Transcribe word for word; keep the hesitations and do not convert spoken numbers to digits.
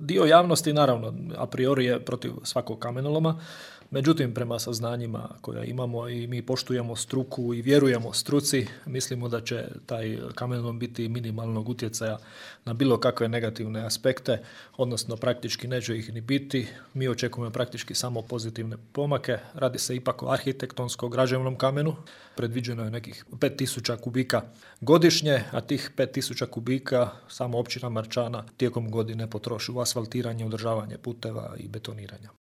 Dio javnosti, naravno, a priori je protiv svakog kamenoloma, međutim, prema saznanjima koja imamo i mi poštujemo struku i vjerujemo struci, mislimo da će taj kamenolom biti minimalnog utjecaja na bilo kakve negativne aspekte, odnosno praktički neće ih ni biti. Mi očekujemo praktički samo pozitivne pomake. Radi se ipak o arhitektonsko-građevnom kamenu. Predviđeno je nekih pet tisuća kubika godišnje, a tih pet tisuća kubika samo općina Marčana tijekom godine potroši u asfaltiranje, održavanje puteva i betoniranja.